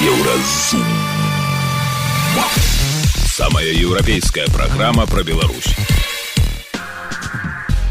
Еўразум. Самая еўрапейская праграма пра Беларусь.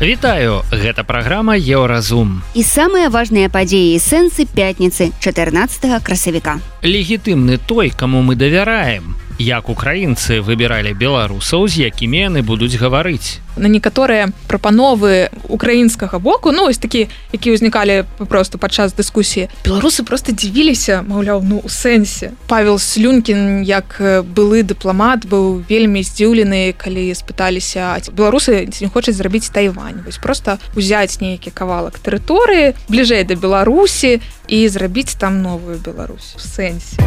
Вітаю, гэта праграма Еўразум. І самыя важныя падзеі і сэнсы пятніцы 14 красавіка. Легітымны той, каму мы давяраем. Як украінцы выбіралі беларусаў, з якімі яны будуць гаварыць. На некаторыя прапановы украінскага боку, ось такі, які ўзнікалі просто падчас дыскусіі, беларусы просто дзівіліся, маўляў, у сэнсе. Павел Слюнкін, як былы дыпламат, быў вельмі здзіўлены, калі спыталіся, беларусы ці не хочуць зрабіць Тайвань. Просто узяць нейкі кавалак тэрыторыі, бліжэй да Беларусі і зрабіць там новую Беларусь. У сэнсе.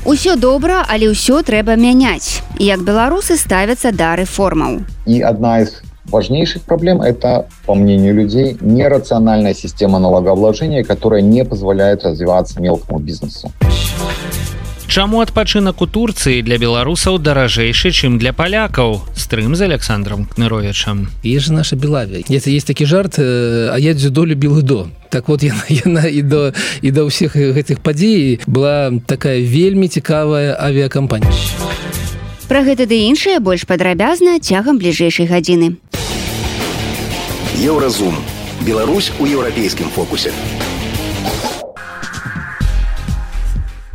Усё добра, але ўсё трэба мяняць. Як беларусы ставятся да рэформаў. И одна из важнейших проблем – это, по мнению людей, нерациональная система налогообложения, которая не позволяет развиваться мелкому бизнесу. Чаму адпачынак у Турцыі для беларусаў даражэйшы, чым для палякаў? Стрым з Александром Кныровичем. Есть же наша Белавия. Есть такі жарт, а я дзюдо любіў до. Так вот, яна і да ўсіх гэтых падзей была такая вельмі цікавая авіякампанія. Пра гэта ды іншае больш падрабязна цягам бліжэйшай гадзіны. Еўразум. Беларусь у еўрапейскім фокусе.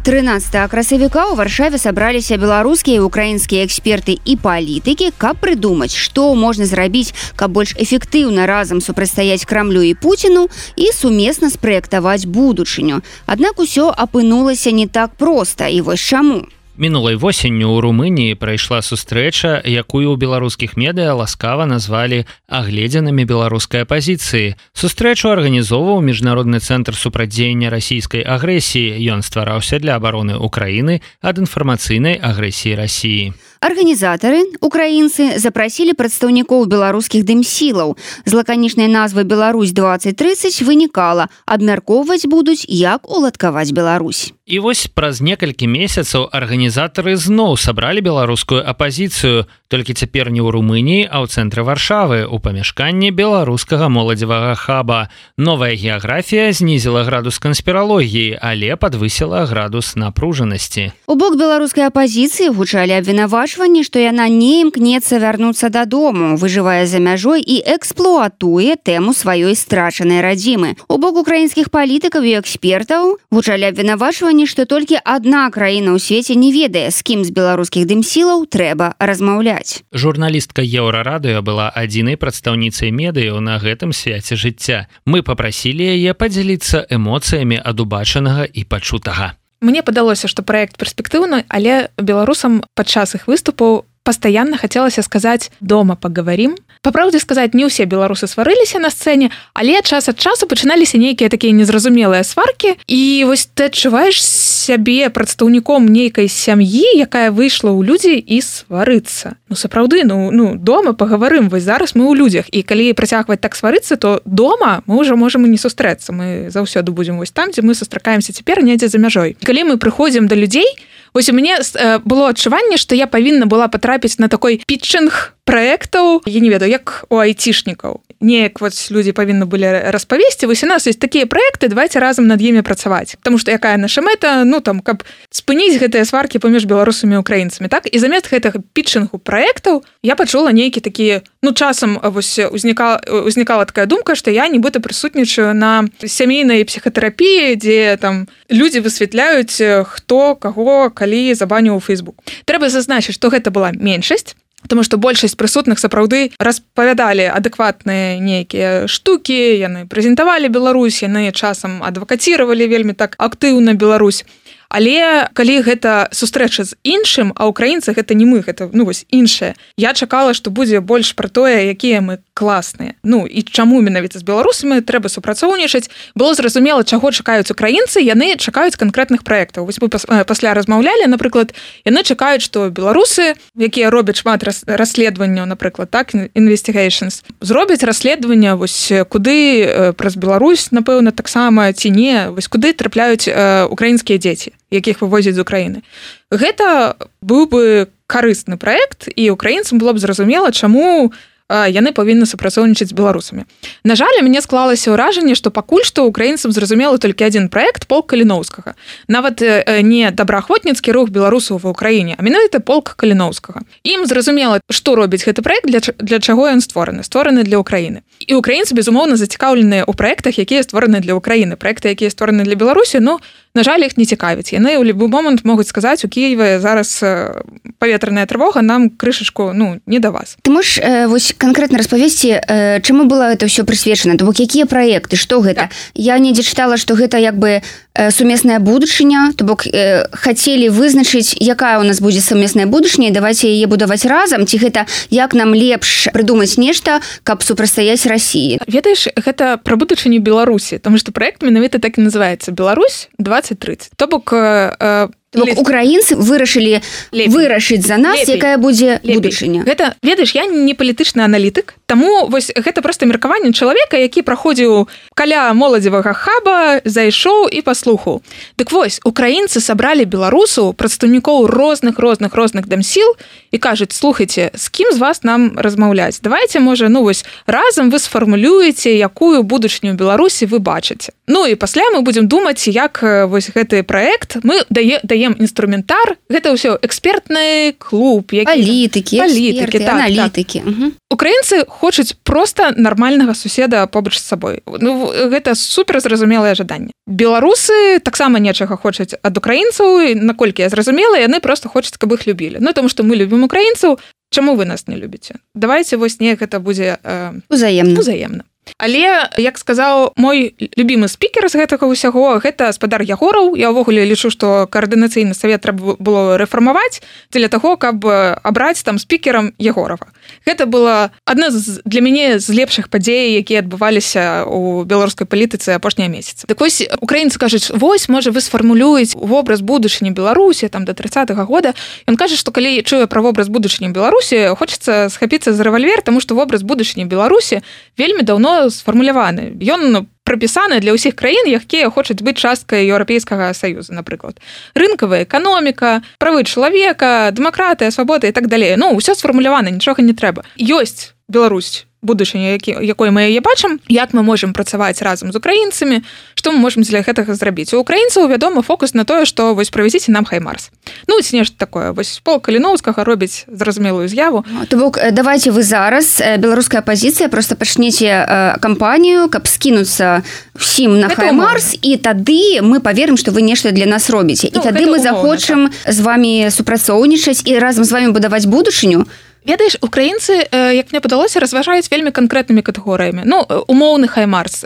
13 красавіка ў Варшаве сабраліся беларускія і украінскія эксперты і палітыкі, каб прыдумаць, што можна зрабіць, каб больш эфектыўна разам супрацьстаяць Крамлю і Пуціну і сумесна спраектаваць будучыню. Аднак усё апынулася не так проста, і вось чаму. Мінулай восенню ў Румыніі прайшла сустрэча, якую ў беларускіх медыа ласкава назвалі агледзінамі беларускай апазіцыі. Сустрэчу арганізоўваў Міжнародны цэнтр супрацьдзеяння расійскай агрэсіі. Ён ствараўся для абароны Украіны ад інфармацыйнай агрэсіі Расіі. Арганізатары, украінцы, запрасілі прадстаўнікоў беларускіх дымсілаў. З лаканічнай назвы «Беларусь-2030» вынікала, абмяркоўваць будуць, як уладкаваць Беларусь. І вось праз некалькі месяцаў арганізатары зноў сабралі беларускую апазіцыю, толькі цяпер не ў Румыніі, а ў цэнтры Варшавы, у памяшканні беларускага моладзевага хаба. Новая геаграфія знізіла градус канспіралогіі, але падвысіла градус напружанасці. У бок беларускай апазіцыі гучалі абвінавачванні, што яна не імкнецца вярнуцца дадому, выжывае за мяжой і эксплуатуе тэму сваёй страчанай радзімы. У бок украінскіх палітыкаў і экспертаў гучалі абвінавачванні, што толькі адна краіна ў свеце не ведае, з кім з беларускіх дымсілаў трэба размаўляць. Журналістка Еўрарадыё была адзінай прадстаўніцай медыяў на гэтым свяце жыцця. Мы папрасілі яе падзяліцца эмоцыямі ад убачанага і пачутага. Мне падалося, што праект перспектыўны, але беларусам падчас іх выступаў пастаянна хацелася сказаць «дома паговорим». Па праўдзе сказаць, не ўсе беларусы сварыліся на сцэне, але час ад часу пачыналіся нейкія такія незразумелыя сваркі, і вось ты адчуваеш сябе прадстаўніком нейкай сям'і, якая выйшла ў людзі і сварыцца. Сапраўды, дома паговорим, вось зараз мы ў людзях, і калі працягваць так сварыцца, то дома мы ўжо можам і не сустрэцца. Мы заўсёды будзем вось там, дзе мы сустракаемся цяпер недзе за мяжой. Калі мы прыходзім да людзей, вось у мяне было адчуванне, што я павінна была патрапіць на такой пітчынг праектаў, я не ведаю, як у айцішнікаў. Неяк вось людзі павінны былі распавесці, вось у нас ёсць такія праекты, давайте разам над імі працаваць. Таму што якая наша мэта, каб спыніць гэтыя сваркі паміж беларусамі і украінцамі, так? І замест гэтага пітчынгу праектаў я пачула нейкі такі, часам вось узнікала такая думка, што я нібыта прысутнічаю на сямейнай псіхатэрапіі, дзе там людзі высвятляюць, хто каго калі забаніў у Facebook. Трэба зазначыць, што гэта была меншасць, тому што большасць прысутных сапраўды распавядалі адэкватныя нейкія штукі, яны прэзентавалі Беларусь, яны часам адвакаціравалі вельмі так актыўна Беларусь. Але калі гэта сустрэча з іншым, а украінцы гэта не мы, гэта вось іншае, я чакала, што будзе больш пра тое, якія мы класныя. І чаму менавіта з беларусамі трэба супрацоўнічаць. Было зразумела, чаго чакаюць украінцы, яны чакаюць канкрэтных праектаў. Вось мы пасля размаўлялі, напрыклад, яны чакаюць, што беларусы, якія робяць шмат расследаванняў, напрыклад, так, investigations, зробяць расследаванне, вось куды праз Беларусь, напэўна, таксама ці не, вось куды трапляюць украінскія дзеці, якіх вывозяць з Украіны. Гэта быў бы карысны праект, і украінцам было б зразумела, чаму яны павінны супрацоўнічаць з беларусамі. На жаль, у мяне склалася ўражанне, што пакуль што украінцам зразумелы толькі адзін праект полк Каліноўскага. Нават не добраахвотніцкі рух беларусаў ва ўкраіне, а менавіта полк Каліноўскага. Ім зразумела, што робіць гэты праект, для чаго ён створаны для ўкраіны. І украінцы, безумоўна, зацікаўленыя ў праектах, якія створаны для ўкраіны. Праекты, якія створаны для Беларусі, на жаль, іх не цікавіць. Яны ў любы момант могуць сказаць, у Кіеве зараз паветраная трывога, нам крышачку, не да вас. Ты можаш вось канкрэтна распавесці, чаму было это ўсё прысвечана? То бок, якія праекты, што гэта? Я недзе чытала, што гэта як бы сумесная будучыня, то бок хацелі вызначыць, якая у нас будзе сумесная будучыня, і давайце яе будаваць разам, ці гэта як нам лепш прыдумаць нешта, каб супрацьстаяць Расіі? Ведаеш, гэта пра будучыню Беларусі, таму што праект менавіта так і называецца «Беларусь 2030». То бок украінцы вырашылі вырашыць за нас, якая будзе будучыня. Гэта, ведаеш, я не палітычны аналітык, таму вось гэта проста меркаванне чалавека, які праходзіў каля моладзевага хаба, зайшоў і паслухаў. Дык вось, украінцы сабралі беларусаў, прадстаўнікоў розных дамсіл і кажуць: слухайце, з кім з вас нам размаўляць? Давайце, можа, разам вы сфармулюеце, якую будучыню Беларусі вы бачыце. І пасля мы будзем думаць, як вось гэты праект мы даем інструментар, гэта ўсё экспертны клуб, палітыкі, аналітыкі. Украінцы хочуць проста нармальнага суседа побач з сабой. Гэта суперзразумелае жаданне. Беларусы таксама нечага хочуць ад украінцаў, і наколькі я зразумела, яны проста хочуць, каб іх любілі. Таму што мы любім украінцаў, чаму вы нас не любіце? Давайце вось неяк гэта будзе узаемна. Але, як сказаў мой любімы спікер з гэтага ўсяго, гэта спадар Ягораў. Я ўвогуле лічу, што каардынацыйны савет трэба было рэфармаваць дзеля таго, каб абраць там спікерам Ягорава. Гэта была адна для мяне з лепшых падзей, якія адбываліся ў беларускай палітыцы апошнія месяцы. Так вось, украінцы кажуць: вось, можа, вы сфармулюеце вобраз будучыні Беларусі там да 30-го года. Ён кажа, што калі чуе пра вобраз будучыні Беларусі, хочацца схапіцца за рэвальвер, таму што вобраз будучыні Беларусі вельмі даўно сфармуляваны. Ён прапісаны для ўсіх краін, якія хочуць быць часткай Еўрапейскага саюза, напрыклад. Рынкавая эканоміка, правы чалавека, дэмакратыя, свабода і так далей. Ўсё сфармулявана, нічога не трэба. Ёсць Беларусь, будучыня, якой мы яе бачым, як мы можам працаваць разам з украінцамі, што мы можам для гэтага зрабіць. У украінцаў, вядома, фокус на тое, што вось правязіце нам Хаймарс. Ці нешта такое. Вось полк Каліноўскага робіць зразумелую з'яву. То бок, давайце вы зараз, беларуская апазіцыя, проста пачнеце кампанію, каб скінуцца ўсім на Хаймарс, і тады мы паверым, што вы нешта для нас робіце. І тады мы захочам з вамі супрацоўнічаць і разам з вамі будаваць будучыню. Ведаеш, украінцы, як мне падалося, разважаюць вельмі канкрэтнымі катэгорыямі. Умоўны Хаймарс,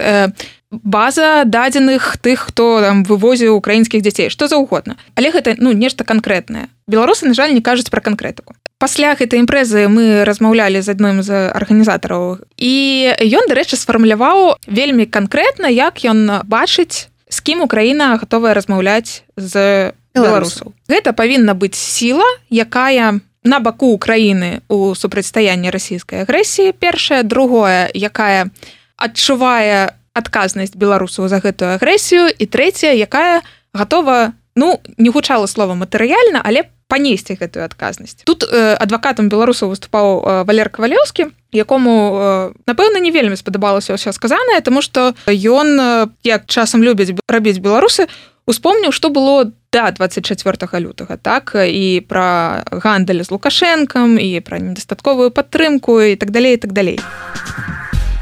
база дадзеных тых, хто там вывозіў украінскіх дзяцей, што заўгодна. Але гэта нешта канкрэтнае. Беларусы, на жаль, не кажуць пра канкрэтыку. Пасля гэтай імпрэзы мы размаўлялі з адным з арганізатараў, і ён, дарэчы, сфармуляваў вельмі канкрэтна, як ён бачыць, з кім Украіна гатовая размаўляць з беларусаў. Гэта павінна быць сіла, якая на баку Украіны ў супрацьстаянні расійскай агрэсіі, першае. Другое, якая адчувае адказнасць беларусаў за гэтую агрэсію. І трэцяе, якая гатова, не гучала слова матэрыяльна, але панесці гэтую адказнасць. Тут адвакатам беларусаў выступаў Валер Кавалеўскі, якому, напэўна, не вельмі спадабалася ўсё сказанае, таму што ён, як часам любяць рабіць беларусы, успомніў, што было да 24 лютага, так, і пра гандаль з Лукашэнкам, і пра недастатковую падтрымку, і так далей, і так далей.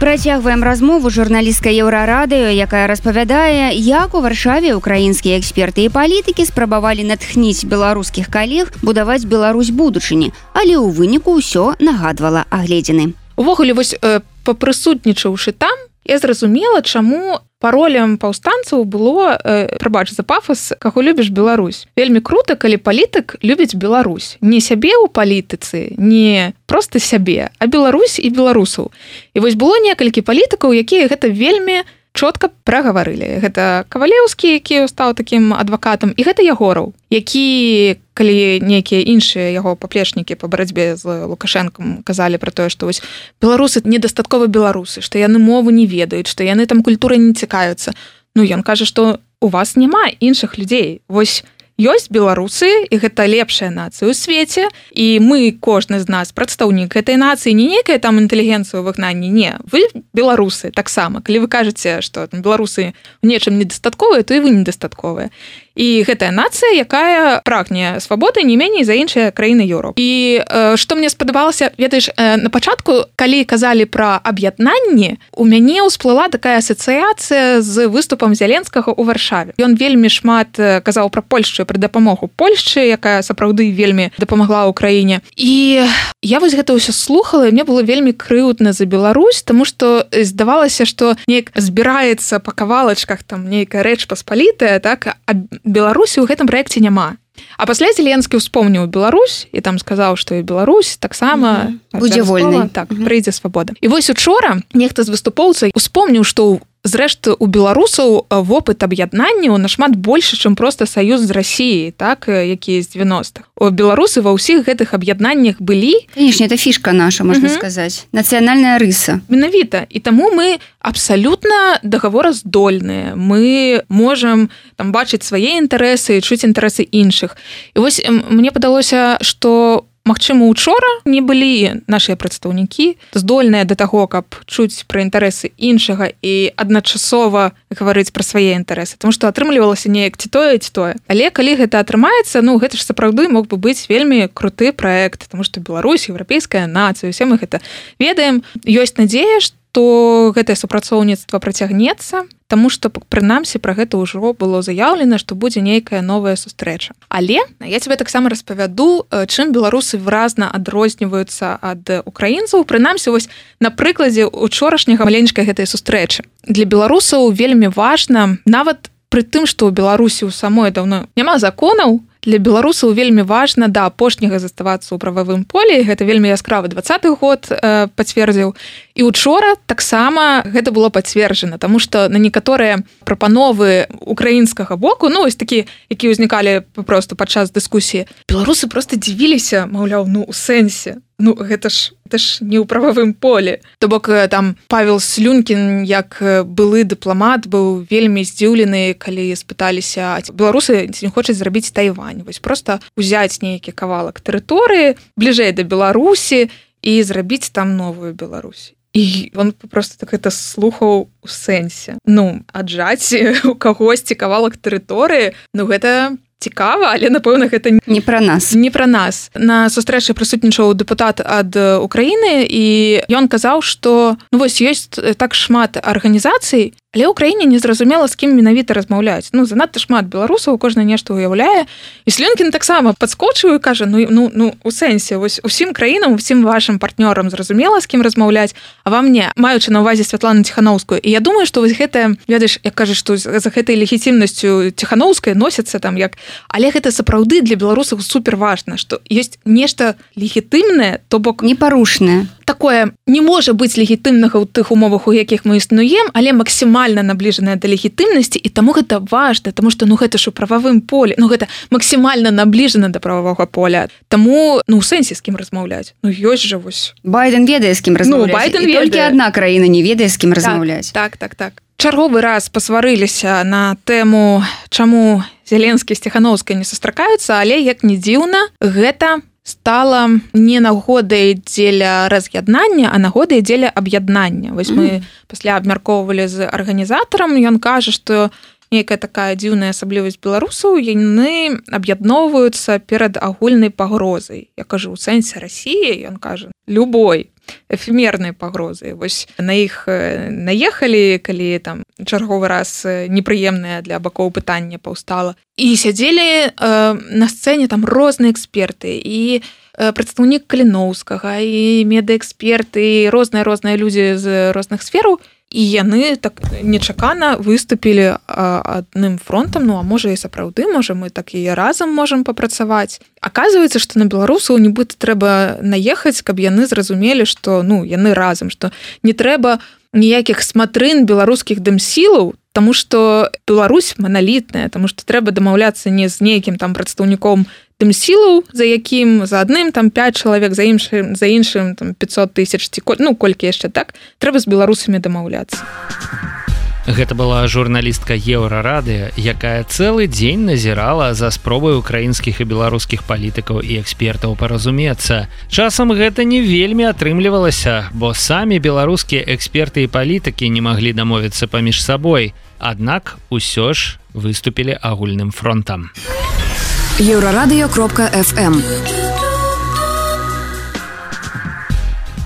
Працягваем размову журналістка Еўрарадыё, якая распавядае, як у Варшаве украінскія эксперты і палітыкі спрабавалі натхніць беларускіх калег будаваць Беларусь будучыні, але ў выніку ўсё нагадвала агледзіны. Увогуле, вось папрысутнічаўшы там, я зразумела, чаму паролем паўстанцаў было, прабач за пафас, каго любіш Беларусь. Вельмі крута, калі палітык любіць Беларусь. Не сябе ў палітыцы, не проста сябе, а Беларусь і беларусаў. І вось было некалькі палітыкаў, якія гэта вельмі чётка прагаварылі. Гэта Кавалеўскі, які стаў такім адвакатам, і гэта Ягораў, які, калі нейкія іншыя яго паплечнікі па барацьбе з Лукашэнкам казалі пра тое, што вось беларусы недастаткова беларусы, што яны мову не ведаюць, што яны там культурай не цікаюцца. Ён кажа, што у вас няма іншых людзей. Вось ёсць беларусы, і гэта лепшая нацыя ў свеце, і мы, кожны з нас, прадстаўнік гэтай нацыі, не нейкая там інтэлігенцыя ў выгнанні, не. Вы беларусы таксама. Калі вы кажаце, што беларусы ў нечым недастатковыя, то і вы недастатковыя. І гэтая нацыя, якая прагне свабоды не меней за іншыя краіны Еўропы. І што мне спадабалася, ведаеш, на пачатку, калі казалі пра аб'яднанне, у мяне ўсплыла такая асацыяцыя з выступам Зяленскага ў Варшаве. Ён вельмі шмат казаў пра Польшчу, пра дапамогу Польшчы, якая сапраўды вельмі дапамагла ўкраіне. І я вось гэта ўсё слухала, і мне было вельмі крыўдна за Беларусь, таму што здавалася, што неяк збіраецца па кавалачках там нейкая рэч паспалітая, так, а Беларусі ў гэтым праекце няма. А пасля Зеленскі ўспомніў Беларусь і там сказаў, што і Беларусь таксама будзе вольнай. Так, прыйдзе свабода. І вось учора нехта з выступоўцаў успомніў, што зрэшты у беларусаў вопыт аб'яднання нашмат больше, чым проста саюз з Расіяй, так, які з 90-х. Беларусы ва ўсіх гэтых аб'яднаннях былі. Конечно, это фішка наша, можна сказаць. Нацыянальная рыса. Менавіта. І таму мы абсалютна дагавораздольныя. Мы можам там бачыць свае інтарэсы і чуць інтарэсы іншых. І вось мне падалося, што магчыма, учора не былі нашыя прадстаўнікі здольныя да таго, каб чуць пра інтарэсы іншага і адначасова гаварыць пра свае інтарэсы, тому што атрымлівалася неяк ці тое. Але калі гэта атрымаецца, ну гэта ж сапраўды мог бы быць вельмі круты праект, тому што Беларусь, еўрапейская нацыя, усе мы гэта ведаем. Ёсць надзея, што гэтае супрацоўніцтва працягнецца, таму што прынамсі пра гэта ўжо было заяўлена, што будзе нейкая новая сустрэча. Але я тебе таксама распавяду, чым беларусы выразна адрозніваюцца ад украінцаў, прынамсі вось на прыкладзе учорашняга маленечкай гэтай сустрэчы. Для беларусаў вельмі важна, нават пры тым, што ў Беларусі ў самой даўно няма законаў, для беларусаў вельмі важна да апошняга заставацца ў прававым полі. Гэта вельмі яскравы 20-й год пацвердзіў. І учора таксама гэта было пацверджана, таму што на некаторыя прапановы украінскага боку, ну вось такі, які ўзнікалі проста падчас дыскусіі, беларусы проста дзівіліся, маўляў, ну у сэнсе. Ну, гэта ж не ў прававым полі. То бок там Павел Слюнкін, як былы дыпламат, быў вельмі здзіўлены, калі спыталіся, беларусы ці не хочуць зрабіць Тайвань. Вось проста узяць нейкі кавалак тэрыторыі бліжэй да Беларусі і зрабіць там новую Беларусь. І он просто так гэта слухаў у сэнсе. Ну, аджаць у кагосьці кавалак тэрыторыі, ну гэта цікава, але, напэўна, гэта не пра нас. Не пра нас. На сустрэчы прысутнічаў дэпутат ад Украіны, і ён казаў, што ну, вось ёсць так шмат арганізацый, але ў краіне незразумела, з кім менавіта размаўляць. Ну, занадта шмат беларусаў, кожны нешта ўяўляе. І Слюнкін таксама падскочыў і кажа, ну, у сэнсе, вось усім краінам, усім вашым партнёрам зразумела, з кім размаўляць, а вам не, маючы на ўвазе Святлану Ціханаўскую. І я думаю, што вось гэтая, ведаеш, як кажа, што за гэтай легітимнасцю Ціханаўскай носіцца там як... Але гэта сапраўды для беларусаў супер важна, што ёсць нешта легітымнае, то бок... Непарушнае. Такое не можа быць легітымнага ў тых умовах, у якіх мы існуем, але максімальна набліжанае да легітымнасці, і таму гэта важна, таму што ну гэта ж у прававым полі, ну гэта максімальна набліжана да прававога поля. Таму, ну у сэнсе з кім размаўляць. Ну ёсць жа вось. Байден ведае, з кім размаўляць. Ну, Байден ведае. І толькі адна краіна не ведае, з кім размаўляць. Так. Чарговы раз пасварыліся на тэму, чаму Зеленскі з Ціханаўскай не сустракаюцца, але як не дзіўна, гэта стала не нагодай дзеля раз'яднання, а нагодай дзеля аб'яднання. Вось мы пасля абмяркоўвалі з арганізатарам, ён кажа, што нейкая такая дзіўная асаблівасць беларусаў, яны аб'ядноўваюцца перад агульнай пагрозай. Я кажу, у сэнсе Расіі, ён кажа, любой эфемернай пагрозы. Вось на іх наехалі, калі там чарговы раз непрыемнае для бакоў пытанне паўстала. І сядзелі на сцэне там розныя эксперты, і прадстаўнік Каліноўскага, і медэксперты, і розныя людзі з розных сфераў. І яны так нечакана выступілі адным фронтам, ну а можа і сапраўды, можа мы так і разам можам папрацаваць. Аказваецца, што на беларусаў нібыта трэба наехаць, каб яны зразумелі, што ну яны разам, што не трэба ніякіх сматрын беларускіх дэмсілаў, таму што Беларусь маналітная, таму што трэба дамаўляцца не з нейкім там прадстаўніком дэмсілаў, за якім за адным там 5 чалавек, за іншым там 500 000, ну колькі яшчэ так, трэба з беларусамі дамаўляцца. Гэта была журналістка Еўрарадыё, якая цэлы дзень назірала за спробай украінскіх і беларускіх палітыкаў і экспертаў паразумецца. Часам гэта не вельмі атрымлівалася, бо самі беларускія эксперты і палітыкі не маглі дамовіцца паміж сабой. Аднак усё ж выступілі агульным фронтам. Еўрарадыё.фм.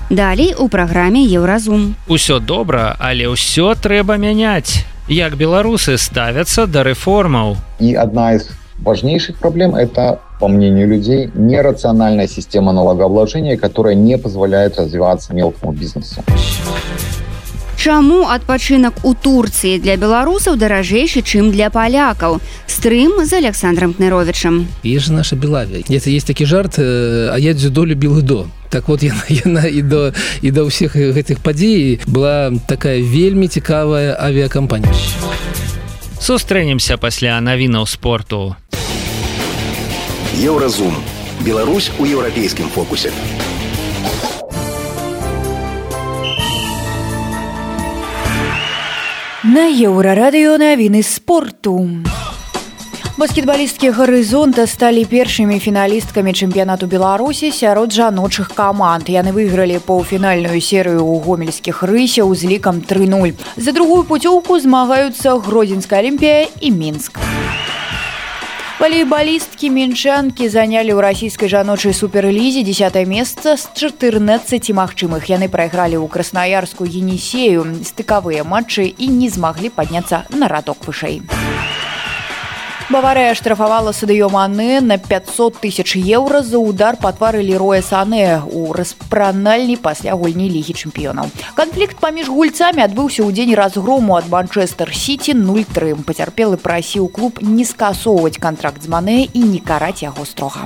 Далей у праграме Еўразум. Усё добра, але ўсё трэба мяняць. Як беларусы ставяцца да рэформаў? И одна из важнейших проблем – это, по мнению людей, нерациональная система налогообложения, которая не позволяет развиваться мелкому бизнесу. Чаму адпачынак у Турцыі для беларусаў даражэйшы, чым для палякаў? Стрым з Александром Кныровичем. Есть же наша Белавия. Это есть такі жарт, а я дзюдо любил до. Так вот, яна і до ўсіх гэтых падзей была такая вельмі цікавая авіакампанія. Сустрэнемся пасля навінаў спорту. Еўразум. Беларусь у еўрапейскім фокусе. На Еўрарадыё навіны спорту. Баскетбалісткі «Гарызонта» сталі першымі фіналісткамі чэмпіянату Беларусі сярод жаночых каманд. Яны выйгралі паўфінальную серыю ў гомельскіх рысяў з лікам 3-0. За другую пуцёўку змагаюцца Гродзенская Алімпія і Мінск. Валейбалісткі мінчанкі занялі ў расійскай жаночай суперлізе 10-е месца з 14 магчымых. Яны прайгралі ў краснаярскую «Енісею» стыкавыя матчы і не змаглі падняцца на радок вышэй. Баварыя штрафавала Садыё Мане на 500 000 еўра за удар па твары Лероя Сане ў распранальні пасля гульні Лігі чэмпіёнаў. Канфлікт паміж гульцамі адбыўся ў дзень разгрому ад Манчэстэр-Сіці 0-3. Пацярпелы прасіў клуб не скасоўваць кантракт з Мане і не караць яго строга.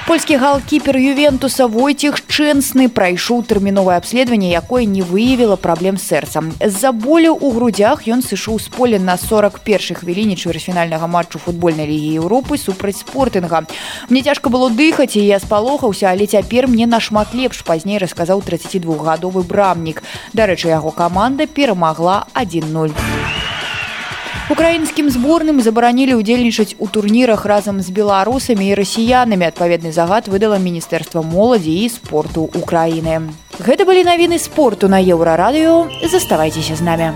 Польскі галкіпер Ювентуса Войцех Шчэнсны прайшоў тэрміновае абследаванне, якое не выявіла праблем з сэрцам. З-за болю ў грудзях ён сышоў з поля на 41-й хвіліне чвэрцьфінальнага матчу футбольнай лігі Еўропы супраць Спортынга. Мне цяжка было дыхаць, і я спалохаўся, але цяпер мне нашмат лепш, пазней расказаў 32-гадовы брамнік. Дарэчы, яго каманда перамагла 1-0. Украінскім зборным забаранілі ўдзельнічаць у турнірах разам з беларусамі і расіянамі. Адпаведны загад выдала Міністэрства моладзі і спорту Украіны. Гэта былі навіны спорту на Еўрарадыё. Заставайцеся з намі.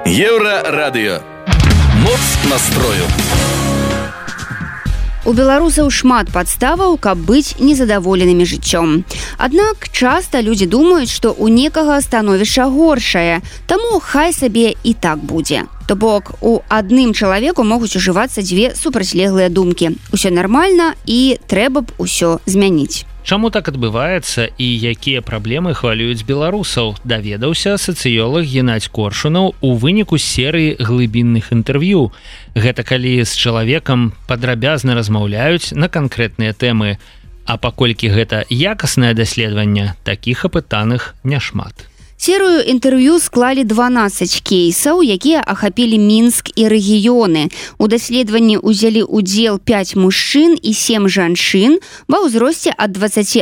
Еўрарадыё. Моц настрою. У беларусаў шмат падставаў, каб быць незадаволенымі жыццём. Аднак часта людзі думаюць, што ў некага становішча горшае, таму хай сабе і так будзе. То бок, у адным чалавеку могуць ужывацца дзве супрацьлеглыя думкі. Усё нармальна і трэба б усё змяніць. Чаму так адбываецца і якія праблемы хвалююць беларусаў, даведаўся сацыёлаг Геннадзь Коршунаў у выніку серыі глыбінных інтэрв'ю. Гэта калі з чалавекам падрабязна размаўляюць на канкрэтныя тэмы. А паколькі гэта якаснае даследаванне, такіх апытаных няшмат. Серыю інтэрв'ю склалі 12 кейсаў, якія ахапілі Мінск і рэгіёны. У даследаванні ўзялі ўдзел 5 мужчын і 7 жанчын ва ўзросце ад 21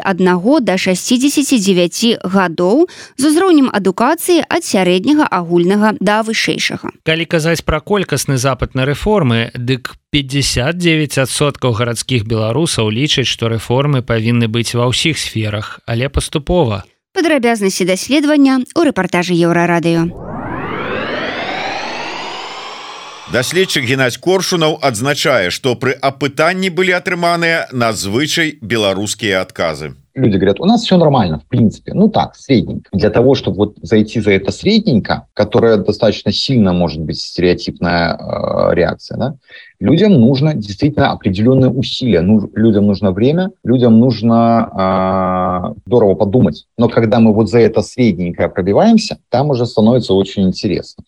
да 69 гадоў з узроўнем адукацыі ад сярэдняга агульнага да вышэйшага. Калі казаць пра колькасны запыт на рэформы, дык 59% гарадскіх беларусаў лічаць, што рэформы павінны быць ва ўсіх сферах, але паступова. Падрабязнасці даследавання ў рэпартажы Еўрарадыё. Даследчык Геннадзь Коршунаў адзначае, што пры апытанні былі атрыманыя надзвычай беларускія адказы. Люди говорят, у нас все нормально, в принципе. Ну так, средненько. Для того, чтобы вот зайти за это средненько, которое достаточно сильно может быть стереотипная реакция, да, людям нужно действительно определенные усилия. Людям нужно время, людям нужно здорово подумать. Но когда мы вот за это средненькое пробиваемся, там уже становится очень интересно.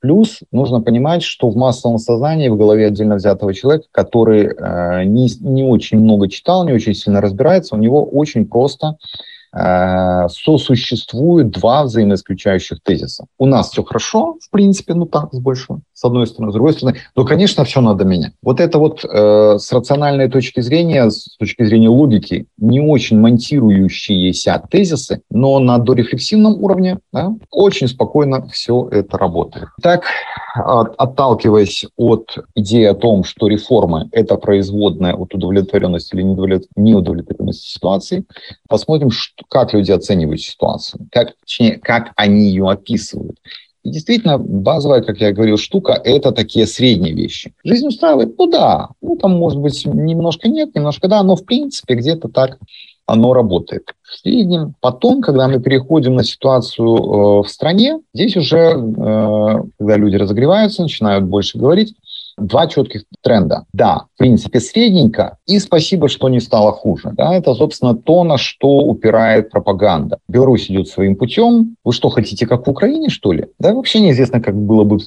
Плюс нужно понимать, что в массовом сознании, в голове отдельно взятого человека, который не очень много читал, не очень сильно разбирается, у него очень просто сосуществуют два взаимоисключающих тезиса. У нас все хорошо, в принципе, ну так, с одной стороны, с другой стороны, но, конечно, все надо менять. Вот это вот с рациональной точки зрения, с точки зрения логики, не очень монтирующиеся тезисы, но на дорефлексивном уровне, да, очень спокойно все это работает. Так, отталкиваясь от идеи о том, что реформы – это производная от удовлетворенности или неудовлетворенности ситуации, посмотрим, как люди оценивают ситуацию, точнее, как они ее описывают. И действительно, базовая, как я говорил, штука – это такие средние вещи. Жизнь устраивает? Ну да. Ну там, может быть, немножко нет, немножко да, но в принципе где-то так оно работает. В среднем. Потом, когда мы переходим на ситуацию в стране, здесь уже, когда люди разогреваются, начинают больше говорить, два четких тренда. Да, в принципе, средненько, и спасибо, что не стало хуже. Да, это, собственно, то, на что упирает пропаганда. Беларусь идет своим путем. Вы что, хотите, как в Украине, что ли? Да, вообще неизвестно, как было бы,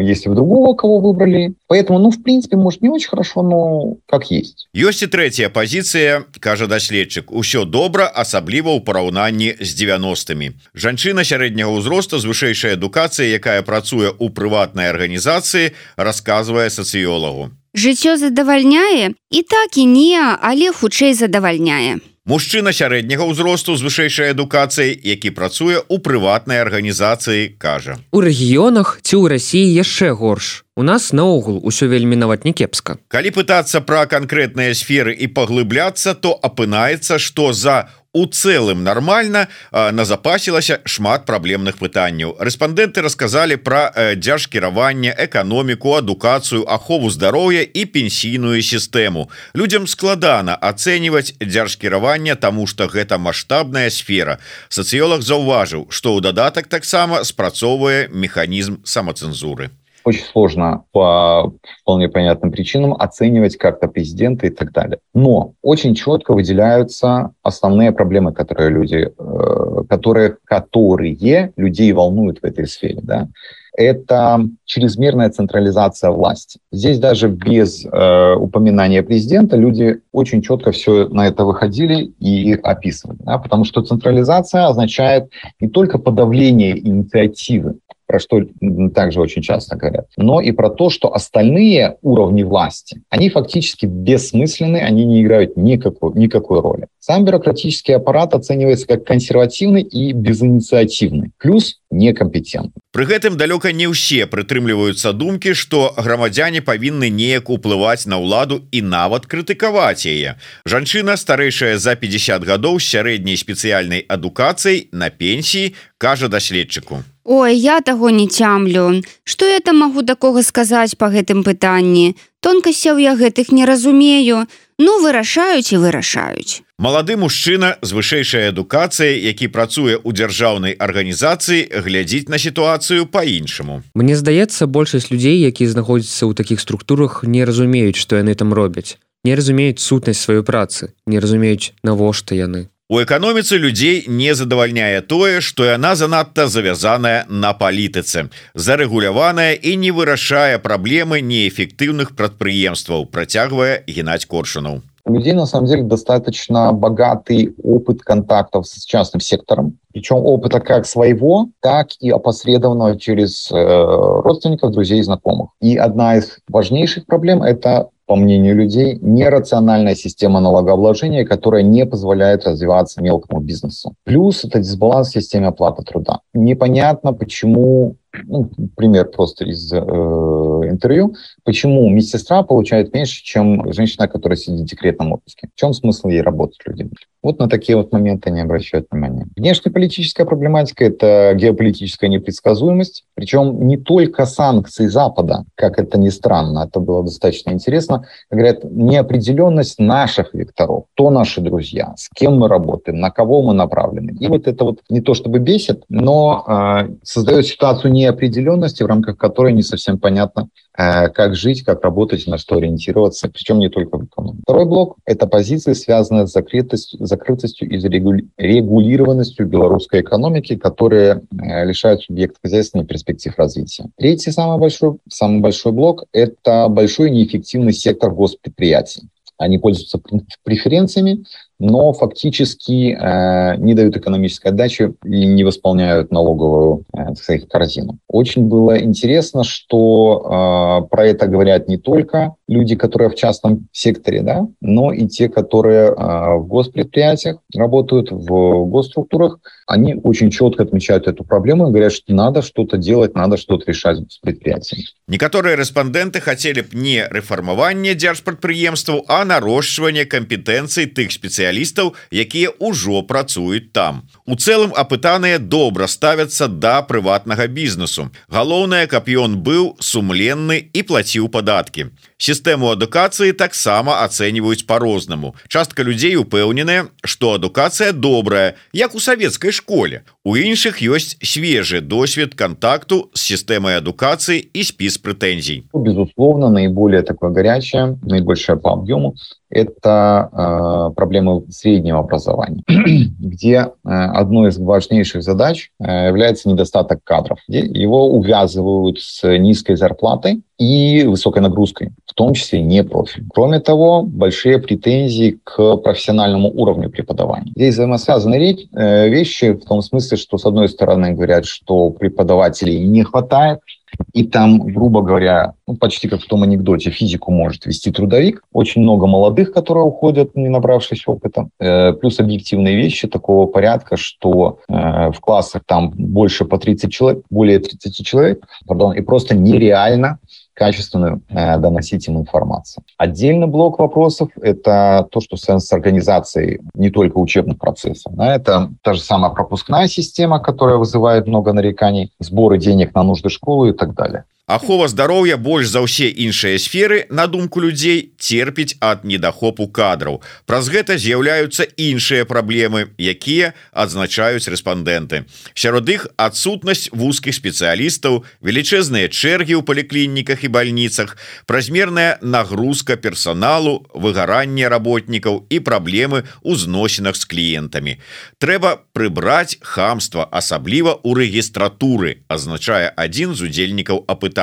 если бы другого кого выбрали. Поэтому, ну, в принципе, может, не очень хорошо, но как есть. Ёсць і третья пазіцыя, кажа даследчык. Усё добра, асабліва ў параўнанні з 90-мі. Жанчына сярэдняга ўзросту з вышэйшай адукацыяй, якая працуе ў прыватнай арганізацыі, расказвае сацыёлагу. Жыццё задавальняе? І так і не, але хутчэй задавальняе. Мужчына сярэдняга ўзросту з вышэйшай адукацыяй, які працуе ў прыватнай арганізацыі, кажа. У рэгіёнах ці ў Расіі яшчэ горш. У нас наогул усё вельмі нават не кепска. Калі пытацца пра канкрэтныя сферы і паглыбляцца, то апынаецца, што за у цэлым нармальна назапасілася шмат праблемных пытанняў. Рэспандэнты расказалі пра дзяржкіраванне, эканоміку, адукацыю, ахову здароўя і пенсійную сістэму. Людзям складана ацэньваць дзяржкіраванне, таму што гэта маштабная сфера. Сацыёлаг заўважыў, што ў дадатак таксама спрацоўвае механізм самацэнзуры. Очень сложно по вполне понятным причинам оценивать как-то президента и так далее. Но очень четко выделяются основные проблемы, которые людей волнуют в этой сфере. Да? Это чрезмерная централизация власти. Здесь даже без упоминания президента люди очень четко все на это выходили и описывали. Да? Потому что централизация означает не только подавление инициативы, про что также очень часто говорят, но и про то, что остальные уровни власти, они фактически бессмысленны, они не играют никакой роли. Сам бюрократический аппарат оценивается как консервативный и безинициативный, плюс некомпетентны. Пры гэтым далёка не ўсе прытрымліваюцца думкі, што грамадзяне павінны неяк уплываць на ўладу і нават крытыкаваць яе. Жанчына, старэйшая за 50 гадоў з сярэдняй спецыяльнай адукацыяй на пенсіі, кажа даследчыку. Ой, я таго не цямлю. Што я там магу такога сказаць па гэтым пытанні? Тонкасцяў я гэтых не разумею. Ну, вырашаюць і вырашаюць. Малады мужчына з вышэйшай адукацыяй, які працуе ў дзяржаўнай арганізацыі, глядзіць на сітуацыю па-іншаму. Мне здаецца, большасць людзей, якія знаходзяцца ў такіх структурах, не разумеюць, што яны там робяць. Не разумеюць сутнасць сваёй працы, не разумеюць, навошта яны. У эканоміцы людзей не задавальняе тое, што яна занадта завязаная на палітыцы, зарэгуляваная і не вырашае праблемы неэфектыўных прадпрыемстваў, працягвае Геннадзь Коршунов. У людей, на самом деле, достаточно богатый опыт контактов с частным сектором. Причем опыта как своего, так и опосредованного через родственников, друзей и знакомых. И одна из важнейших проблем – это, по мнению людей, нерациональная система налогообложения, которая не позволяет развиваться мелкому бизнесу. Плюс это дисбаланс в системе оплаты труда. Непонятно, почему, пример просто из интервью, почему медсестра получает меньше, чем женщина, которая сидит в декретном отпуске. В чем смысл ей работать людям? Вот на такие вот моменты не обращают внимания. Внешнеполитическая проблематика – это геополитическая непредсказуемость. Причем не только санкции Запада, как это ни странно, это было достаточно интересно. Говорят, неопределенность наших векторов, кто наши друзья, с кем мы работаем, на кого мы направлены. И вот это вот не то чтобы бесит, но создает ситуацию неопределенности, в рамках которой не совсем понятно, как жить, как работать, на что ориентироваться, причем не только в экономике. Второй блок – это позиции, связанные с закрытостью и регулированностью белорусской экономики, которые лишают субъекта хозяйственных перспектив развития. Третий, самый большой блок – это большой неэффективный сектор госпредприятий. Они пользуются преференциями, но фактически не дают экономической отдачи и не восполняют налоговую, так сказать, корзину. Очень было интересно, что про это говорят не только люди, которые в частном секторе, да, но и те, которые в госпредприятиях работают, в госструктурах. Они очень четко отмечают эту проблему и говорят, что надо что-то делать, надо что-то решать с предприятиями. Некоторые респонденты хотели б не рэфармаванне дзяржпрадпрыемстваў, а нарошчванне кампетэнцый тых спецыялістаў, якія ўжо працуюць там. У цэлым апытаныя добра ставяцца да прыватнага бізнесу. Галоўнае, каб ён быў сумленны і плаціў падаткі. Сістэму адукацыі таксама ацэньваюць па-рознаму. Частка людзей упэўненая, што адукацыя добрая, як у савецкай школе. У іншых ёсць свежы досвед контакту с системой адукации и спис претензий. Безусловно, наиболее такое горячее, наибольшее по объему – это проблемы среднего образования, где одной из важнейших задач является недостаток кадров. Его увязывают с низкой зарплатой и высокой нагрузкой, в том числе не профиль. Кроме того, большие претензии к профессиональному уровню преподавания. Здесь взаимосвязаны вещи в том смысле, что с одной стороны говорят, что преподавателей не хватает, и там, грубо говоря, почти как в том анекдоте, физику может вести трудовик. Очень много молодых, которые уходят, не набравшись опыта. Плюс объективные вещи такого порядка, что в классах там больше по 30 человек, более 30 человек, и просто нереально качественную доносить им информацию. Отдельный блок вопросов – это то, что связано с организацией не только учебных процессов. Это та же самая пропускная система, которая вызывает много нареканий, сборы денег на нужды школы и так далее. Ахова здароўя больш за ўсе іншыя сферы, на думку людзей, церпіць ад недахопу кадраў. Праз гэта з'яўляюцца іншыя праблемы, якія адзначаюць рэспандэнты. Сярод іх адсутнасць вузкіх спецыялістаў, велічэзныя чэргі ў паліклініках і бальніцах, празмерная нагрузка персаналу, выгаранне работнікаў і праблемы ў зносінах з кліентамі. Трэба прыбраць хамства, асабліва ў рэгістратуры, азначае адзін з удзельнікаў апытання.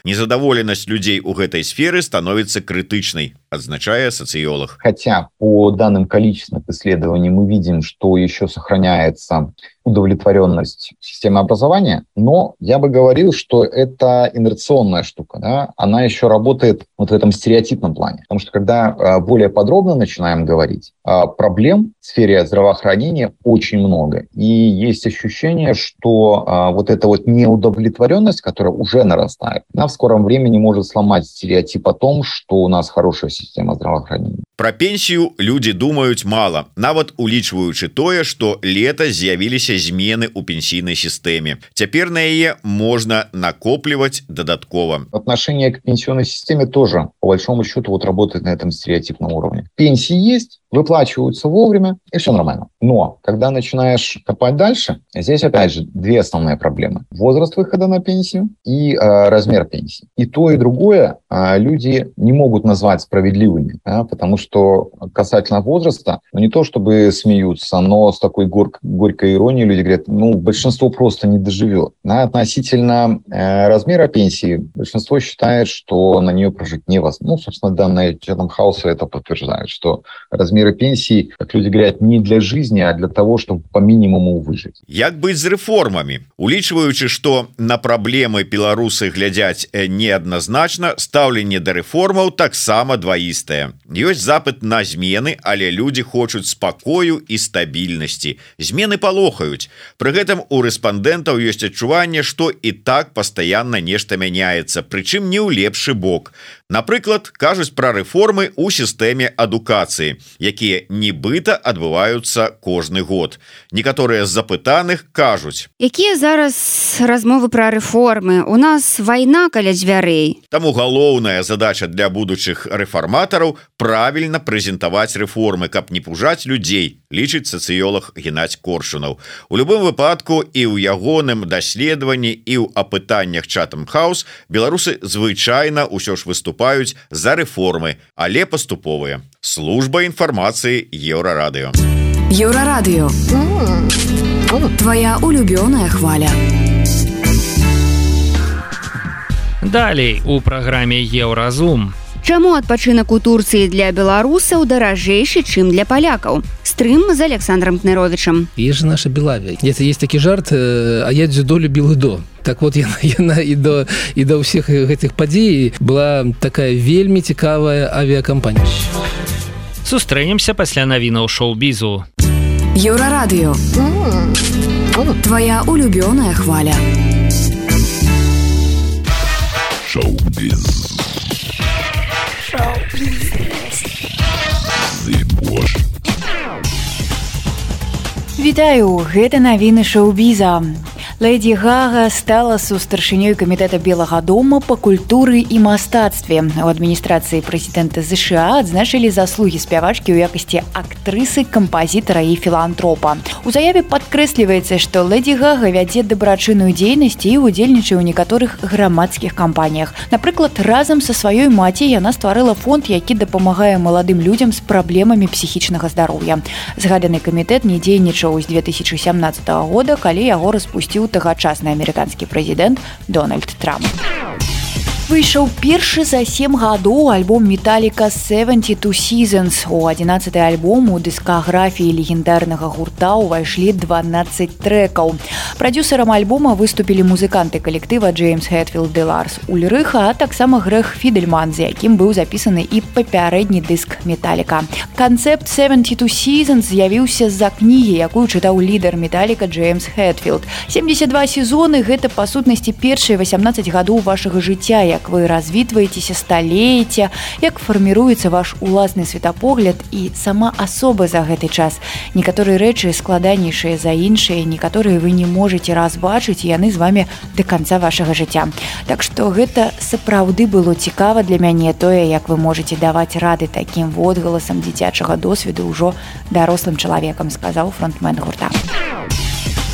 Незадоволенность людей у этой сферы становится критичной, означая социолог. Хотя по данным количественных исследований мы видим, что еще сохраняется удовлетворенность системы образования, но я бы говорил, что это инерционная штука, да? Она еще работает вот в этом стереотипном плане. Потому что когда более подробно начинаем говорить, проблем в сфере здравоохранения очень много. И есть ощущение, что вот эта вот неудовлетворенность, которая уже нарастает, она в скором времени может сломать стереотип о том, что у нас хорошая система здравоохранения. Про пенсію люди думаюць мала, нават улічваючы тое, што лета з'явіліся змены ў пенсійнай сістэме. Цяпер на яе можна накопліваць дадаткова. Отношение к пенсионной системе тоже, по большому счету, вот работает на этом стереотипном уровне. Пенсии есть, выплачиваются вовремя, и все нормально. Но когда начинаешь копать дальше, здесь опять же две основные проблемы. Возраст выхода на пенсию и размер пенсии. И то, и другое люди не могут назвать справедливыми, да, потому что касательно возраста, не то чтобы смеются, но с такой горькой иронией люди говорят, большинство просто не доживет. Да, относительно размера пенсии, большинство считает, что на нее прожить невозможно. Собственно, данные Chatham House это подтверждают, что размеры пенсии, как люди говорят, не для жизни, а для того, чтобы по минимуму выжить. Як быць з рэформамі? Улічваючы, што на праблемы беларусы глядзяць неадназначна, стаўленне да рэформаў таксама дваістае. Ёсць запыт на змены, але людзі хочуць спакою і стабільнасці. Змены палохаюць. Пры гэтым у рэспандэнтаў ёсць адчуванне, што і так пастаянна нешта мяняецца, прычым не ў лепшы бок. Напрыклад, кажуць пра рэформы ў сістэме адукацыі, якія нібыта адбываюцца кожны год. Некаторыя з запытаных кажуць: якія зараз размовы пра рэформы? У нас вайна каля дзвярэй. Таму галоўная задача для будучых рэфарматараў правільна прэзентаваць рэформы, каб не пужаць людзей, лічыць сацыёлог Геннадзь Коршунаў. У любым выпадку і ў ягоным даследаванні, і ў апытаннях Chatham House беларусы звычайна ўсё ж выступаюць за рэформы, але паступовыя. Служба інфармацыі Еўрарадыё. Еўрарадыё. Твоя улюбёная хваля. Далей у праграме Еўразум. Чаму адпачынак у Турцыі для беларусаў даражэйшы, чым для палякаў? Стрым з Александром Кныровичем. Есть же наша Белавия. Есть такі жарт, а я дзюдо любил до. Так вот, яна і до ўсіх гэтых падзей была такая вельмі цікавая авіакампанія. Сустрэнемся пасля навінаў шоу-бізу. Еўрарадыё. Твоя улюбёная хваля. Шоу-біз. Вітаю, гэта навіны шоу-біза. Лэдзі Гага стала сустаршынёй камітэта Белага дома па культуры і мастацтве. У адміністрацыі прэзідэнта ЗША адзначылі заслугі спявачкі ў якасці актрысы, кампазітара і філантропа. У заяве падкрэсліваецца, што Лэдзі Гага вядзе дабрачынную дзейнасць і удзельнічае ў некаторых грамадскіх кампаніях. Напрыклад, разам са сваёй маці яна стварыла фонд, які дапамагае маладым людзям з праблемамі псіхічнага здароўя. Згаданы камітэт не дзейнічаў з 2017 года, калі яго распусціў тагачасны амерыканскі прэзідэнт Дональд Трамп. Выйшаў першы за 7 гадоў альбом Металліка 72 Seasons. У 11-й альбом у дыскаграфіі легендарнага гурта ўвайшлі 12 трэкаў. Прадюсерам альбома выступілі музыканты калектыва Джеймс Хэтфілд і Ларс Ульрыха, а таксама Грэг Фідельман, з якім быў запісаны і папярэдні дыск Металліка. Канцэпт 72 Seasons з'явіўся з-за кнігі, якую чытаў лідар Металліка Джеймс Хэтфілд. 72 сезоны – гэта, па сутнасці, першыя 18 гадоў вашага жыцця, як вы развітваецеся, сталееце, як фарміруецца ваш уласны светапогляд і сама асоба за гэты час. Некаторыя рэчы складанейшыя за іншыя, некаторыя вы не можаце разбачыць, і яны з вамі да канца вашага жыцця. Так што гэта сапраўды было цікава для мяне, тое, як вы можаце даваць рады такім водгаласам дзіцячага досведу ўжо дарослым чалавекам, сказаў фронтмен гурта.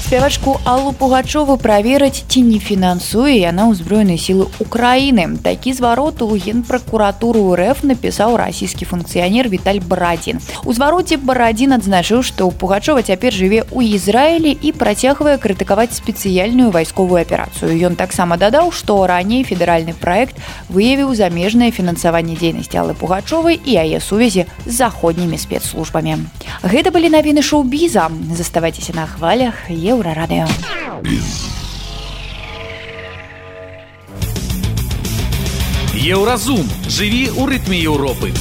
Спявачку Аллу Пугачову праверыць, ці не фінансуе яна ўзброеныя сілы Украіны. Такі зварот у Генпракуратуру РФ напісаў расійскі функцыянер Віталь Барадзін. У звароце Барадзін адзначыў, што Пугачова цяпер жыве ў Ізраілі і працягвае крытыкаваць спецыяльную вайсковую аперацыю. Ён таксама дадаў, што раней федэральны праект выявіў замежнае фінансаванне дзейнасці Аллы Пугачовай і яе сувязі з заходнімі спецслужбамі. Гэта былі навіны шоу-біза. Заставайцеся на хвалях Еўрарадыё. Еўразум. Жыві ў рытме Еўропы.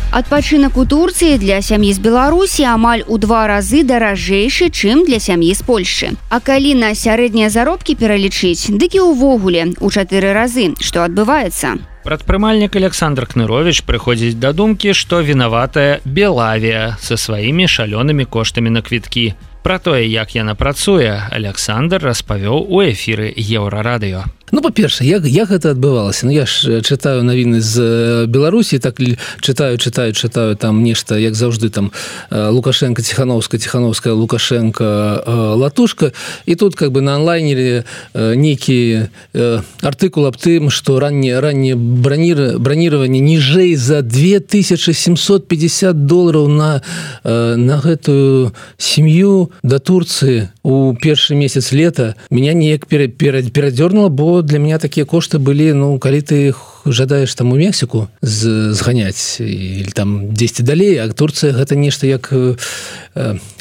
Адпачынак у Турцыі для сям'і з Беларусі амаль у 2 разы даражэйшы, чым для сям'і з Польшчы. А калі на сярэднія заробкі пералічыць, дык і ўвогуле у 4 разы, што адбываецца. Прадпрымальнік Александр Кнырович прыходзіць да думкі, што вінаватая Белавія са сваімі шалёнымі коштамі на квіткі. Пра тое, як яна працуе, Александр распавёў у эфіры Еўрарадыё. Ну, па-першае, як гэта адбывалася? Ну, я ж чытаю навіны з Беларусі, так чытаю там нешта, як заўжды, там Лукашенко, Ціхановская, Лукашенко, Латушка, і тут как бы на онлайнере нейкі артыкул аб тым, што раннее бронирование ніжэй за $2750 на гэтую сям'ю да Турцыі у першы месяц лета меня неяк перадзёрнула, бо для меня такія кошты былі, ну, калі ты жадаеш там у Мексіку зганяць или там дзесьці далей, а Турцыя гэта нешта як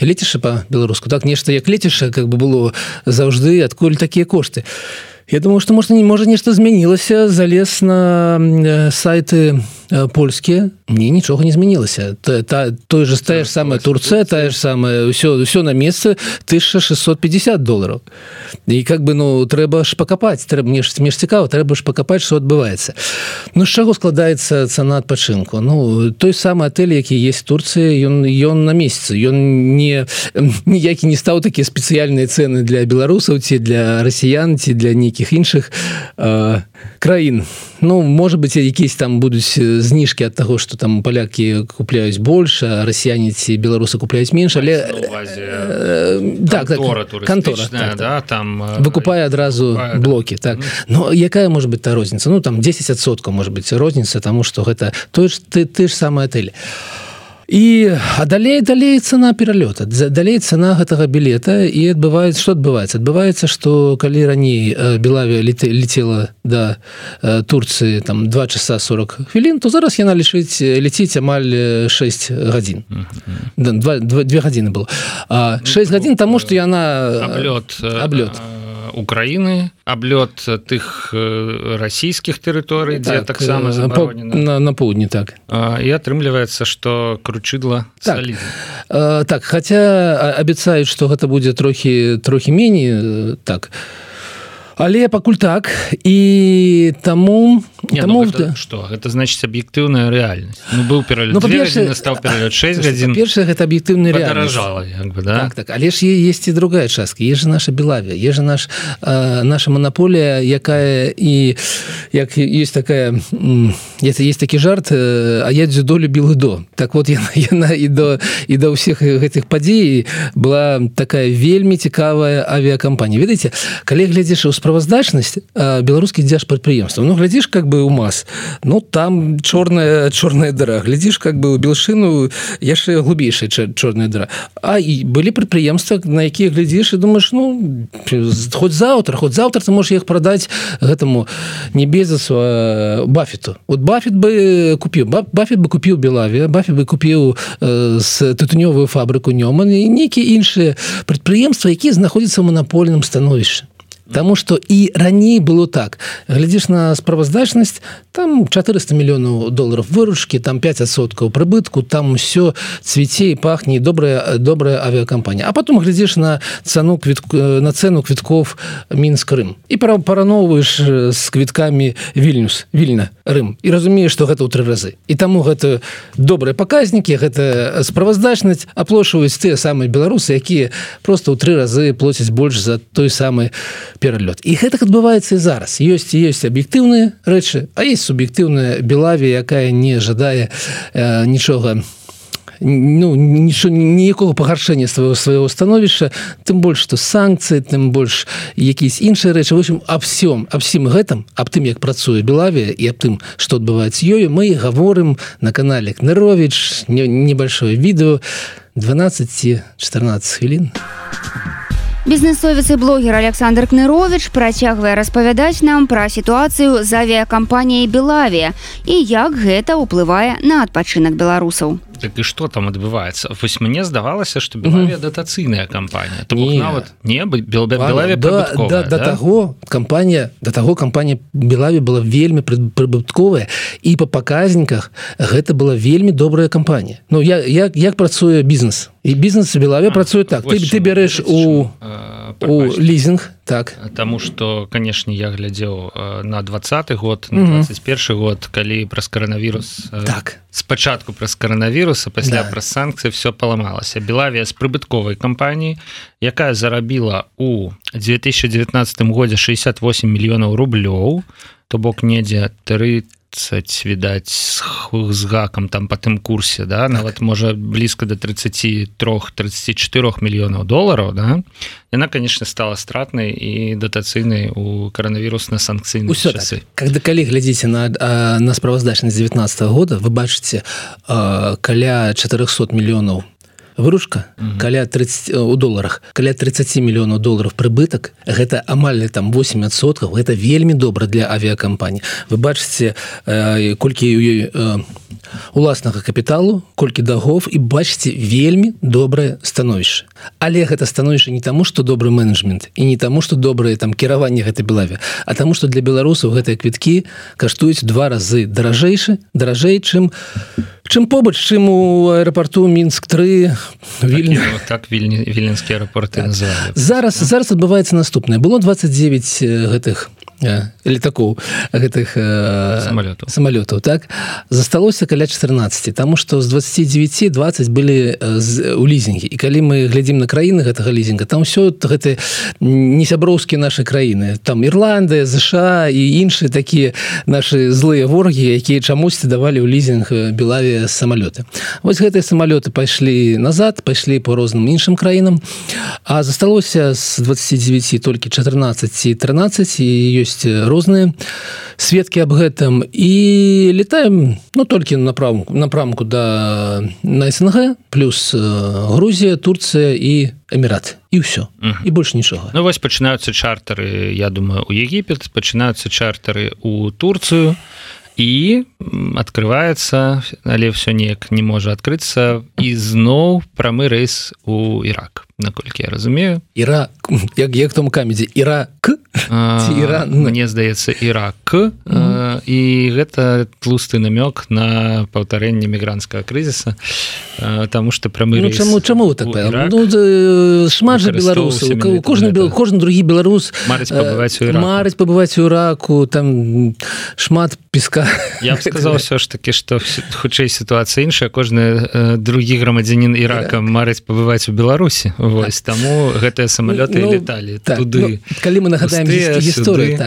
лецішча па-беларуску, так, нешта як лецішча как бы было заўжды, адкуль такія кошты. Я думаю, што можа нешта змянілася, залез на сайты польскія, мне нічога не змянілася. Тая ж самая Турцыя, тая ж самая, ўсё на месцы, $1650. І как бы, ну, трэба ж пакапаць, мне ж цікава, трэба ж пакапаць, што адбываецца. Ну, з чаго складаецца цана адпачынку? Ну, той самы атэль, які есть в Турцыі, ён на месяцы, ён ніякі не стаў такія спецыяльныя цэны для беларусаў, ці для расіян, ці для нейкіх іншых краін. Ну, может быть, якісь там будуць зніжкі ад таго, што там палякі купляюць больш, а расіяне ці беларусы купляюць менш, але кантора, да, там выкупае адразу блокі, так. Но якая может быть та розніца? Ну, там 10% может быть розніца, таму што гэта ты ж самы атэль. і далей цана пералёта, далей цана гэтага білета, і адбываецца, што калі раней Белавія летела да Турцыі там 2 часа 40 хвілін, то зараз яна летіць амаль 6 гадзін. 2 гадзіны было. 6 гадзін таму, што яна... Аблёт Украины, аблёт тых расійскіх тэрыторый, дзе таксама забаронена. На поўдні, так. І атрымліваецца, што кручыдла салідна. Так, хаця абяцаюць, што гэта будзе трохі меней, так. Але пакуль так, і таму... Што? Гэта значыць аб'ектыўная рэальнасць. Быў пералёт 2 гадзіны, стаў пералёт 6 гадзін. Па-першае, гэта аб'ектыўная рэальнасць. Падаражала, як бы, да? Так. Але ж есть і другая частка. Есть же наша Белавія, есть же наша монополія, якая і... Як есть такая... Есть такі жарт, а я дзюдо любіў ідо. Так вот, яна і да ўсіх гэтых падзей была такая вельмі цікавая авіакампанія. Ведаеце, калі глядзіш у справаздачнасць беларускіх дзяржпрадпрыемстваў, глядзіш как бы у МАЗ, там чорная дыра, глядзіш как бы у Белшыну яшчэ глубейшая чорная дыра. А і былі прадпрыемствы, на якія глядзіш і думаеш, хоць заўтра ты можаш іх прадаць гэтаму не Безосу, Баффету. Вот Баффет бы купіў Белавія, Баффет бы купіў з тытунёвую фабрыку Нёман і нейкія іншыя прадпрыемствы, якія знаходзяцца ў манапольным становішчы. Таму што і раней было так. Глядзіш на справаздачнасць, там 400 мільёнаў долараў выручкі, там 5% прыбытку, там усё цвіце і пахне, добрая авіакампанія. А потом глядзіш на цену квітков Мінск-Рым і параўноўваеш з квіткамі Вільна, Рым. І разумееш, што гэта ў 3 разы. І таму гэта добрыя паказнікі, гэта справаздачнасць аплошваюць тыя самыя беларусы, якія проста ў 3 разы плоцяць больш за той самы пералёт. І гэтак адбываецца і зараз. Ёсць аб'ектыўныя рэчы, а ёсць суб'ектыўная Белавія, якая не жадае нічога, ніякога пагаршэння свайго становішча, тым больш, што санкцыі, тым больш якісь іншыя рэчы. В общем, аб всім гэтым, аб тым, як працуе Белавія і аб тым, што адбываецца ёю, мы гаворым на канале Кныровіч, небольшое відео, 12-14 хвілін. Бізнесовец і блогер Александр Кныровіч працягвае распавядаць нам пра сітуацыю з авіякампаніяй «Белавія» і як гэта ўплывае на адпачынак беларусаў. Так і што там адбываецца? Вось мне здавалася, што Белавія датацыйная кампанія. То бок нават Белавія прыбытковая, да? Да таго кампанія Белавія была вельмі прыбытковая, і па паказніках гэта была вельмі добрая кампанія. Як працуе бізнес? І бізнес Белавія працуе так. Ты бярэш у лізінг, так. Таму што, канешне, я глядзеў на 20-й год, на 21-й год, калі праз каранавірус... Так. Спачатку праз каранавірус, а пасля праз санкцыі все паламалася. Белавія з прыбытковай кампаніі, якая зарабіла у 2019 годзе 68 мільёнаў рублёў, то бок недзе 30, відаць, з гакам там па тым курсе, да? Нават можа блізка да 33-34 мільёнаў долараў, да? Яна, конечно, стала стратнай і датацыйнай у каранавірусна-санкцыйныя часы. Калі глядзіце на справаздачнасць 19 года, вы бачыце каля 400 мільёнаў выручка, каля 30 у доларах, каля 30 мільёнаў долараў прыбытак, гэта амаль там 8%, гэта вельмі добра для авіякампаній. Вы бачыце, колькі ў ёй уласнага капіталу, колькі дагоў, і бачыце вельмі добрае становішча. Але гэта становішча не таму, што добры менеджмент, і не таму, што добрае там кіраванне гэтай Белаві, а таму, што для беларусаў гэтыя квіткі каштуюць 2 разы даражэй, чым побач, чым у аэрапарту Мінск-3, Вільня. Так вільнінскія аэрапорты называлі. Зараз адбываецца наступнае. Было 29 гэтых летакоў, гэтых самалётаў, так? Засталося каля 14, таму што з 29 20 былі у лізінгі. І калі мы глядзім на краіны гэтага лізінга, там ўсё гэта не сяброўскія нашы краіны. Там Ірландыя, ЗША і іншыя такія нашы злыя ворагі, якія чамусьці давалі ў лізінг Белавія самалёты. Вось гэтыя самалёты пайшлі назад, пайшлі по розным іншым краінам, а засталося з 29 толькі 14 і 13, і ёсць ёсць розныя сведкі аб гэтым і летаем толькі напрамку на СНГ плюс Грузія, Турцыя і Эміраты і ўсё і больш нічога. Вось пачынаюцца чартары, я думаю, у Егіпет, пачынаюцца чартары у Турцыю і открываецца, але ўсё неяк не можа адкрыцца і зноў прамы рэйс у Ірак, наколькі я разумею. Ірак, як там камедзе, Ірак ці Іран? Мне здаецца, Ірак. І гэта тлусты намёк на паўтарэнне мігрантскага крызіса, таму што прамы рэйс чаму так? Шмат жа беларусаў, кожны другі беларус марыць пабываць у Іраку, там шмат песка. Я б сказал все ж таки, что хутчэй ситуация іншая, кожны другі грамадзянін Ірака марыць пабываць у Беларусі. Вось, таму гэтыя самалёты леталі туды. Калі мы нагадаем гісторыю,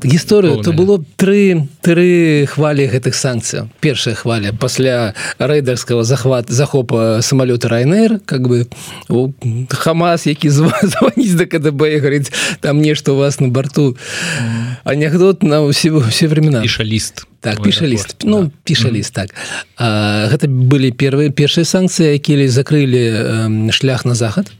гісторыю, то было тры хвалі гэтых санкцый. Першая хваля пасля рэйдарскага захопа самалёта Ryanair, как бы Хамас, які звоніць да КДБ і говорить, там нешта у вас на борту. Анекдот на все времена. Піша-ліст. Так, піша-ліст. Піша-ліст, так. Гэта былі першыя санкцыі, якія закрылі шлях на захад.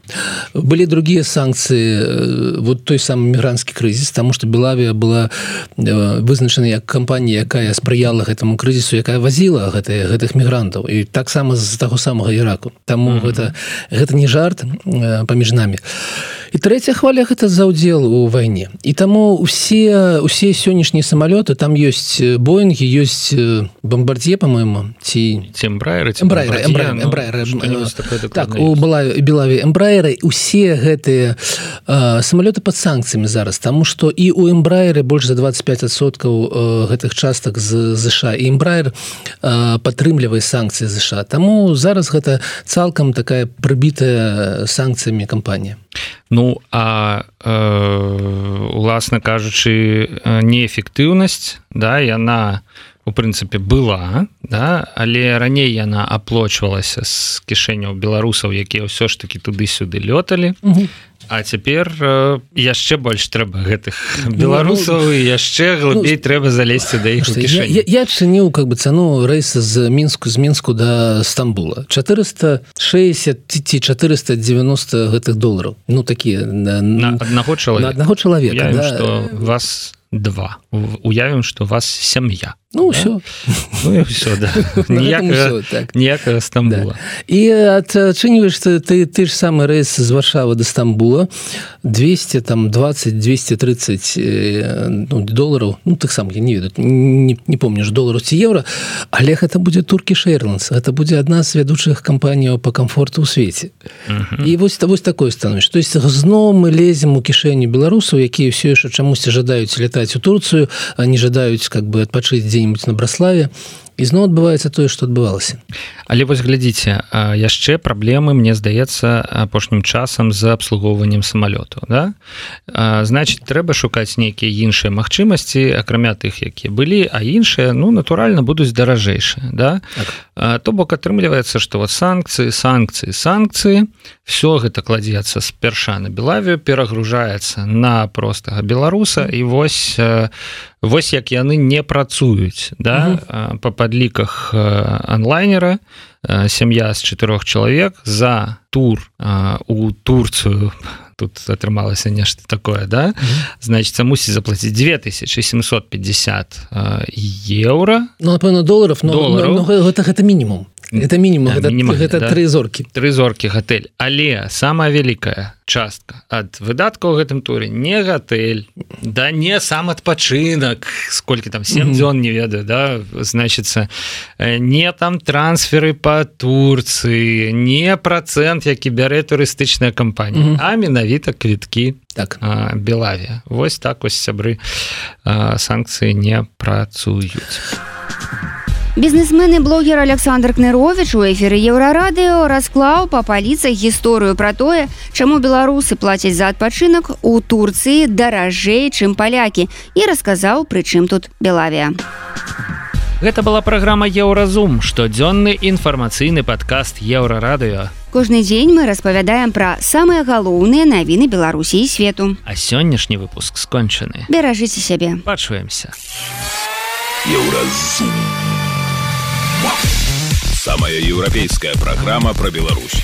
Былі другія санкцыі, вот той самы мігранцкі крызіс, таму што Белавія была вызначана як кампанія, якая спрыяла гэтаму крызісу, якая вазіла гэтых мігрантаў. І таксама з таго самага Іраку. Таму гэта не жарт паміж намі. І трэцяя хваля – гэта за ўдзел у вайне. І таму усе сённяшнія самалёты, там ёсць Боінгі, ёсць Бомбардье, па-моему, ці Эмбраеры. Так, у Белаві Эмбраеры. Усе гэтыя самалёты пад санкцыямі зараз, таму што і у Эмбраеры больш за 25% гэтых частак з ЗША. І Эмбраер падтрымлівае санкцыі ЗША. Таму зараз гэта цалкам такая прыбітая санкцыямі кампанія. Уласна кажучы, неэфектыўнасць, яна у прынцыпе была, але раней яна аплочвалася з кішэняў беларусаў, якія ўсё ж такі туды-сюды лёталі. А цяпер яшчэ больш трэба гэтых беларусаў і яшчэ глыбей трэба залезці да іх у кішэню. Я адчыніў цану рэйса з Мінску да Стамбула. 460 ці 490 гэтых долараў. Такія на аднаго чалавека. На аднаго чалавека. Уявім, што вас 2. Уявім, што вас сям'я. Ўсё. Ўсё, да. Ніякага Стамбула. І адчыніваеш ты ж самы рэйс з Варшавы да Стамбула 220-230 долараў, таксама я не ведаю, не помню ж долараў ці еўра, але гэта будзе Turkish Airlines, гэта будзе адна з вядучых кампаніяў па камфорту ў свеце. І вось такое становішча. То есть зноў мы лезем у кішэню беларусаў, якія ўсё яшчэ чамусьці жадаюць летаць у Турцыю, а не жадаюць адпачыць дзе-нибудь на Браславе. І зноў адбываецца тое, што адбывалася. Але вось глядзіце, яшчэ праблемы, мне здаецца, апошнім часам з абслугоўваннем самалётаў. Значыць, трэба шукаць нейкія іншыя магчымасці, акрамя тых, якія былі, а іншыя, натуральна, будуць даражэйшыя. То бок атрымліваецца, што санкцыі, все гэта кладзецца спярша на Белавію, перагружаецца на простага беларуса, і вось як яны не працуюць. Па падліках онлайнера сям'я з 4 чалавек за тур у Турцыю, тут атрымалася нешта такое, значыць, мусіць заплаціць 2750 еўра. Напэўна, долараў, гэта мінімум. Гэта мінімум, гэта 3 зоркі. 3 зоркі гатэль. Але самая вялікая частка ад выдаткаў у гэтым туры не гатэль, не сам адпачынак, сколькі там, 7 дзён, не ведаю, значыцца, не там трансферы па Турцыі, не працэнт, які бярэ турыстычная кампанія, а менавіта квіткі Белавія. Вось так вось, сябры, санкцыі не працуюць. Бізнесмен і блогер Александр Кныровіч у эфіры Еўрарадыё расклаў па паліцах гісторыю пра тое, чаму беларусы плацяць за адпачынак у Турцыі даражэй, чым палякі, і расказаў, пры чым тут Белавія. Гэта была праграма Еўразум, штодзённы інфармацыйны падкаст Еўрарадыё. Кожны дзень мы распавядаем пра самыя галоўныя навіны Беларусі і свету. А сённяшні выпуск скончаны. Беражыце сябе. Пачуемся. Еўразум. Самая еўрапейская праграма пра Беларусь.